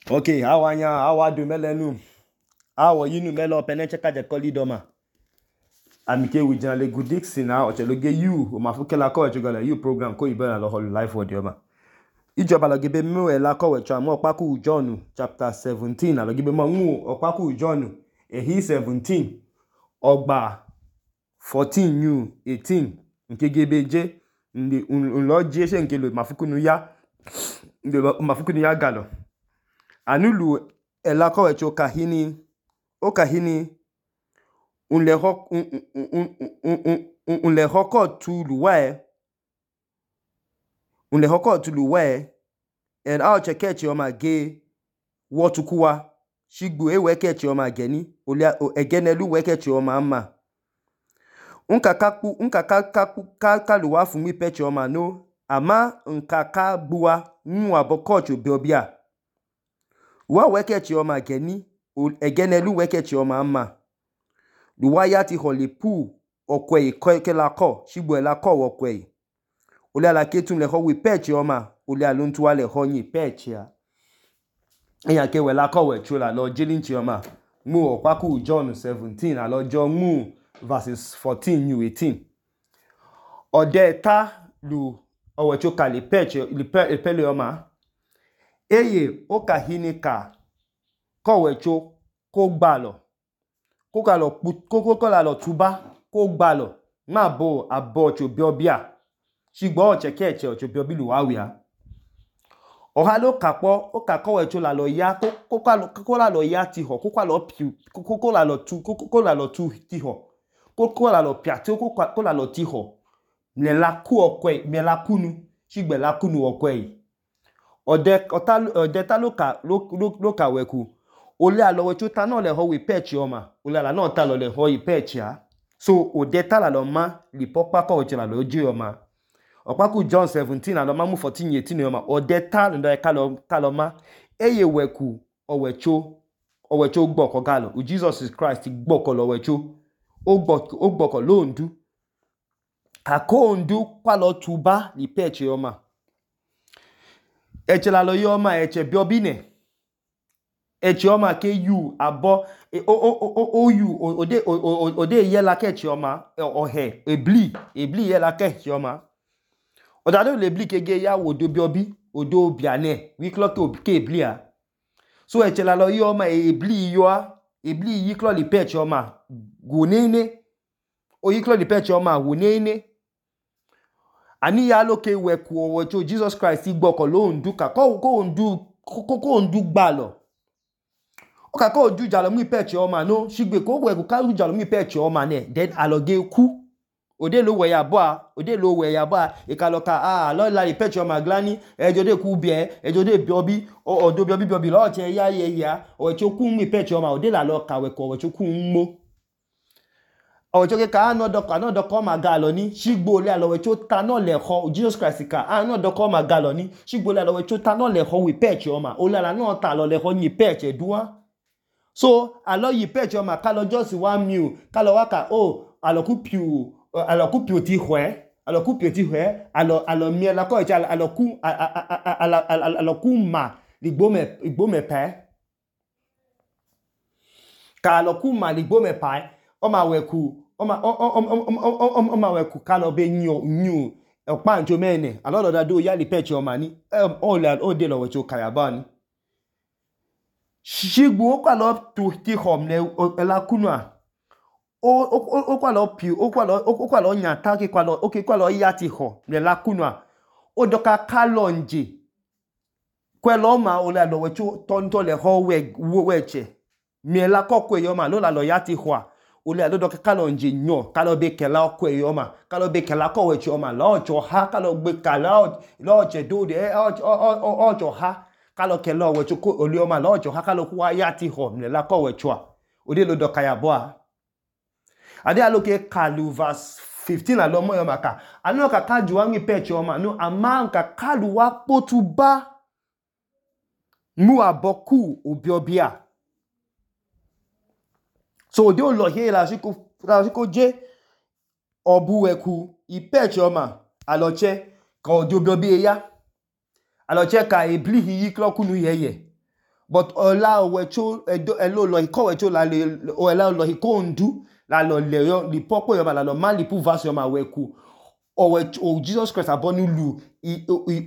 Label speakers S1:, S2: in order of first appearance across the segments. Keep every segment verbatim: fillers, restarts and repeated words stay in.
S1: Ok, awanya, awadu melenu. Awo yinu melo peneche kaje koli doma. Amike wijana le gudiksi na ocheloge you o mafuke la ko echogala you program ko ibena lo holu life word yoma. Ijoba lo gibe mu e la ko wecho amo opaku John chapter seventeen lo gibe mo mu opaku John ehi seventeen ogba fourteen new eighteen nke gebe je ndi unlo je se nke lo mafuku nu ya ndi mafuku nu ya galo. Anulu ela ko wecho kahini o kahini unle ho unle hoko tulu wae unle hoko tulu wae en a chekechi o ma ge wotukuwa shigbu e wekechi o ma geni olia egenelu wekechi o ma ama unkakaku unkakakaku kaluwa funmi pechi o ma no ama nkaka buwa nwa bokocho biobia wa wekechi o ma geni egenelu wekechi o ma ama luwa ya ti holipu okwe kela ko shigbu ela ko okwe olia la ketun le ho wi pechi o ma olia luntuwa le ho yin pechi a eyan ke we la ko we chula lo jilinchi o ma mu opaku John seventeen alo jo mu verses fourteen new eighteen ode ta lu owe choka li pechi li pe pele o ma eye o kahini ka ko we cho ko gbalo ko ka lo ko ko la lo tuba ko gbalo ma bo abo cho biobia shigbo o cheke eche cho biobi lu wa wi a oha lo kapo o ka ko we cho la lo ya ko ko ko la lo ya ti ho ko ko la lo pi ko ko la lo tu ko ko la lo tu ti ho ko ko la lo pia ti ko ko la lo ti ho le la ku okwe me la kunu shigbe la kunu okwe ode ota ode ta lo ka lo lo ka weku ole alo we cho ta na le ho wi pechi o ma ole ala na ta lo le ho wi pechi a so ode ta la lo ma li popa ko che la lo ji o ma opaku John seventeen alo ma mu fourteen eighteen o ma ode ta ndo ka lo ka lo ma eye weku o we cho o we cho gbo ko galo u Jesus Christ gbo ko lo we cho o gbo o gbo ko lo ndu ako ndu kwa lo tuba li pechi o ma eche la lo yo ma eche biobi ne echi oma ke you abo o o o o you ode ode ye la ke chi oma ohe ebli ebli ye la ke chi oma odado le ebli ke ge ya wodo biobi odo biane wi klo ke ke ebli a so echi la lo yo ma ebli yo a ebli yi klo li pe chi oma gunene o yi klo li pe chi oma gunene ani ya lo ke we ku o cho Jesus Christ gbo ko lo ndu ka ko ko ndu ko ko ndu gba lo oka ko ju jalo mu pechi o ma no shigbe ko we ku ka ju jalo mu pechi o ma ne then aloge ku ode lo we ya bo a ode lo we ya bo a e ka lo ka ah lo la pechi o ma glani ejo de ku bie ejo de biobi o odo biobi biobi lo che ya ye ya o che ku mu pechi o ma ode la lo ka we ko o che ku nmo o che ke ka no do ka no do ko ma ga lo ni shigbo le alo we cho ta no le ho Jesus Christ ka ah no do ko ma ga lo ni shigbo le alo we cho ta no le ho wi pechi o ma o la la no ta lo le ho yin pechi duwa. So alo yi pechi o ma ka lo just one meal ka lo wa ka o alo ku piu alo ku piu ti hwe alo ku piu ti hwe alo alo mi la ko echa alo ku alo alo ku ma ligbo me igbo me pe ka alo ku ma ligbo me pa o ma we ku o ma o o o ma we ku ka lo be nyu nyu opa njo mene alo lo da do ya li pechi o ma ni o le o de lo we cho kaya ba ni shigbu o kwa lo tu ti hom le la kunwa o o kwa lo pi o kwa lo o kwa lo nya ta ki kwa lo o ki kwa lo ya ti ho le la kunwa o do ka ka lo nje kwe lo ma o la lo we chu ton to le ho we we che mi la ko kwe yo ma lo la lo ya ti ho o le lo do ka lo nje nyo ka lo be ke la kwe yo ma ka lo be ke la ko we chu ma lo cho ha ka lo gbe ka lo lo che do de o o o cho ha kalo ke lo we chuko oli o ma lo jo hakalo ku wa ya ti ho le la ko we chwa ode lo do kaya bo a ade alo ke kalu verse fifteen alo mo yo maka anu ka ka ju ami pechi o ma no ama ka kalu wa potuba mu aboku obiobia so ode o lo he la siko la siko je obu weku i pechi o ma alo che ka ode obiobia ya alo che ka ebli hi klo kunu yeye but ọla ọwẹcho ẹlọ ọlọhi kọwẹcho ọla ọlọhi kondu lalọ lẹyọ lipọkpọ yọma lalọ ma lipu vasi yọma wẹku ọwẹcho Jesus Christ abọnu lu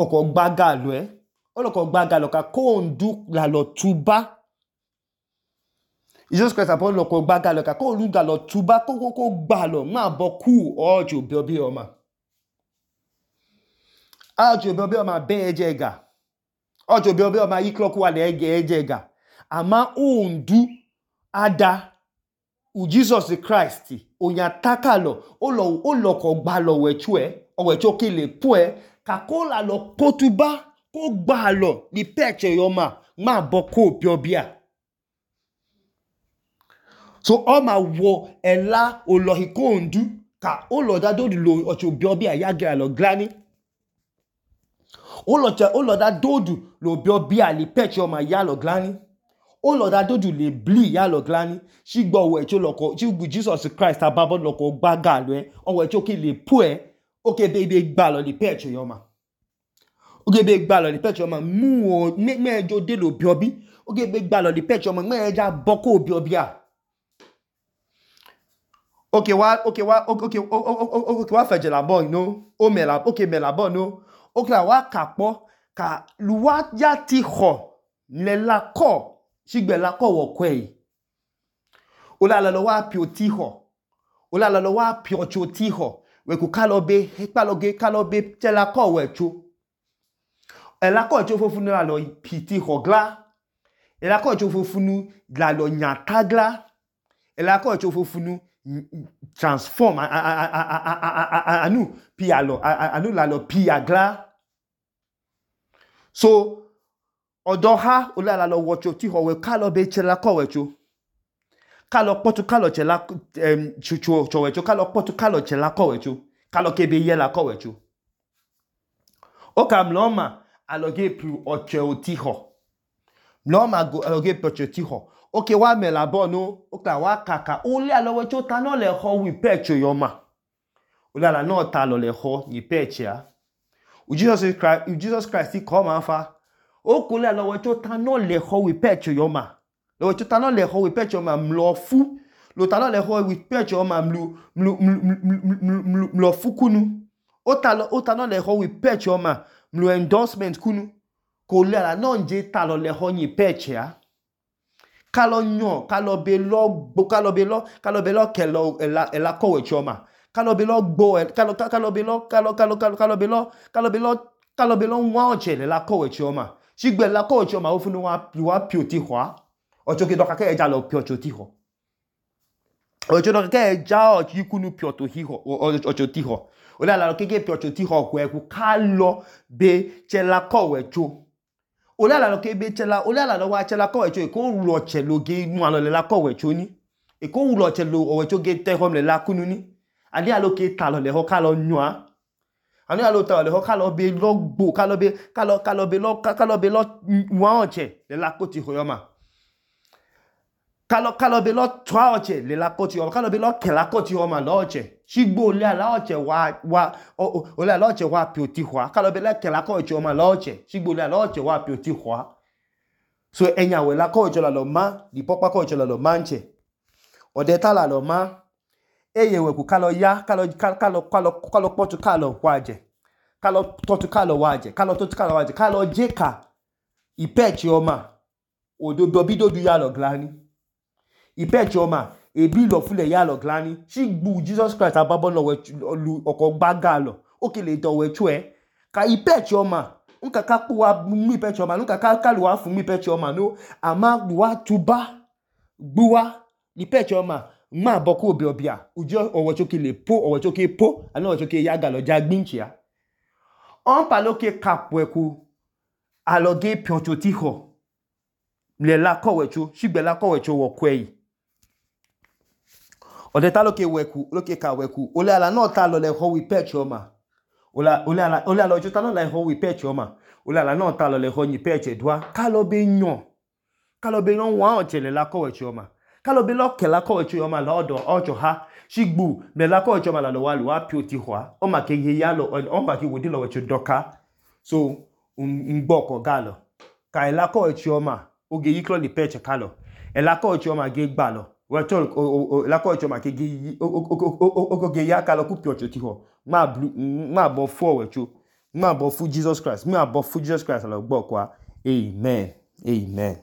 S1: ọkọ gbaga lọ ẹ ọlọkọ gbaga lọ ka kondu lalọ tuba Jesus Christ abọnu lọkọ gbaga lọ ka kondu lalọ tuba kókókó gbalọ ma bọ kú ọjọ bíọbí yọma ọjọ bíọbí yọma bẹ ẹjẹ ẹga ọjọ bíọbí yọma yíklọkú wà lẹ ẹjẹ ẹga àmà ondu ada u Jesus Christ onyatakalo olọkọ gbalọ wẹchu ẹ ọwẹcho kele pu ẹ kakó lalọ potuba kó gbalọ ní pẹchẹ yọma ma bọ kó bíọbíà so ọma wọ ẹla ọlọhi kondu ka olọda dódù lo ọchọ bíọbíà yagẹ alọ glani olọda dódù lo bíọbíà ní pẹchẹ yọma yalọ glani olọda dódù lè bli yalọ glani ṣígbọ ọwẹcho lọkọ ṣígbù Jesus Christ ababọ lọkọ gbaga lọ ẹ ọwẹcho kele pu ẹ oke bebe gbalọ ní pẹchẹ yọma oke bebe gbalọ ní pẹchẹ yọma mú ọ mẹjọ dé lo bíọbí oke bebe gbalọ ní pẹchẹ yọma mẹjọ bọkọ bíọbíà oke wa oke wa oke oke wa fẹjẹ labọ ino o mẹla oke mẹlabọ no oke la wa kapọ ka luwa ya ti họ lẹla kọ ṣígbẹ̀lá kọ̀wọ̀ kwẹ̀ yìí olalọ wa pio ti họ olalọ wa pio cho ti họ wẹ̀kù kálọ̀bẹ̀ kálọ̀gẹ̀ kálọ̀bẹ̀ tẹ́lá kọ̀wọ̀ ẹ̀cho ẹ̀lá kọ̀ ẹ̀cho fúnfún lọ pi ti họ glá ẹ̀lá kọ̀ ẹ̀cho fúnfún lọ nyàtá glá ẹ̀lá kọ̀ ẹ̀cho fúnfún transform ànú pi àlọ ànú lálọ pi àglá so ọdọ ha olala lọ wọcho tí họ wẹ kálọ bẹ chẹla kọwẹcho kálọ pọtù kálọ chẹla chọwẹcho kálọ pọtù kálọ chẹla kọwẹcho kálọ kebe yẹla kọwẹcho ó kà mlọma alọgẹ pu ọchẹ òtí họ mlọma alọgẹ pu ọchẹ òtí họ ó kẹ wá mẹla bọ no ó kà wá kàkà ó lé alọwẹcho ta náà lẹ họ wí pẹchẹ yọma olala náà ta lọ lẹ họ ní pẹchẹ á Jesus Christ kọ́ máa fa o kule lọ́wọ́ tó ta no le ho wi pecho yoma lọ́wọ́ tó ta no le ho wi pecho ma mlo fu lo ta no le ho wi pecho ma mlu mlu mlo fu kunu o ta lo o ta no le ho wi pecho ma mlu endorsement kunu ko le la no nje ta lo le ho yin peche a ka lo yan ka lo be lo gbo ka lo be lo ka lo be lo ke lo ela ela kowe choma ka lo be lo gbo ka lo ka lo be lo ka lo ka lo ka lo be lo ka lo be lo ka lo be lo wa oche le la kowe choma ṣígbẹ̀ lákọ̀ ọ̀chọ́ ma ó fún wa pí òtí hùá ọ̀chọ́ kí dọ́kàkẹ́ ẹja lọ pí ọ̀chọ́ tí họ̀ ọ̀chọ́ dọ́kàkẹ́ ẹja ọ̀chọ́ ikúnú pí ọ̀chọ́ tí họ̀ olè àlàrọ̀ kéèké pí ọ̀chọ́ tí họ̀ ọ̀kọ̀ ẹ̀kú ká lọ bẹ chẹ́lá kọ̀wẹ̀chọ́ olè àlàrọ̀ kéèké chẹ́lá olè àlàrọ̀ wa chẹ́lá kọ̀wẹ̀chọ́ èkó wùlọ̀ ọ̀chẹ́ lóge inú àlọ́lẹ̀ kọ̀wẹ̀chọ́ ní èkó wùlọ̀ ọ̀chẹ́ lo ọ̀wẹ̀chọ́ gé tẹ́họ́m lẹ̀ lákúnú ní adé àlókè tàlọ̀ lẹ̀họ́ ká lọ nyọ́ anu ya lo ta le ho ka lo be lo gbo ka lo be ka lo ka lo be lo ka lo be lo wa oche le la koti ho yoma ka lo ka lo be lo twa oche le la koti yoma ka lo be lo ke la koti yoma lo oche shigbo le ala oche wa wa o le ala oche wa pi oti hwa ka lo be le ke la koti yoma lo oche shigbo le ala oche wa pi oti hwa so enya we la koti la lo ma di popa koti la lo manche ode ta la lo ma eye weku kalo ya kalo kalo kalo kalo potu kalo waje kalo totu kalo waje kalo totu kalo waje kalo jeka ipechi oma ododo bidodu ya lo glani ipechi oma ebi lo fule ya lo glani shigbu Jesus Christ ababo lo we lu oko gbaga lo okele do we chu e ka ipechi oma nka ka pu wa mu ipechi oma nka ka kalu wa fun mi ipechi oma no ama wa tuba gbuwa ipechi oma ma boku obi obia ujo owochoke le po owochoke po ana owochoke yaga lo jagbinchia on paloke kapweku aloge pioncho ti ho le la kowecho shigbe la kowecho wo kwei ode ta loke weku loke ka weku ole ala no ta lo le ho wi pecho ma ola ole ala ole ala ojo ta no la ho wi pecho ma ole ala no ta lo le ho ni peche dwa ka lo be yan ka lo be yan wa oche le la kowecho ma kalo be lo ke la kowecho yoma lodo ojo ha shigbu me la kowecho ma la lo walu wa pi oti hwa o ma ke ye ya lo o ma ki wodi lo wecho doka so ngboko galo ka la kowecho ma oge yiklọ le pẹchẹ kalọ ẹla kọọchi ọma ge gbalọ ẹla kọọchi ọma oge ya kalọ kwu pio ọchẹ otihọ nmaabọ fu ọwọicho nmaabọ fu Jesus Christ nmaabọ fu Jesus Christ alọ gbọọkwa amen amen.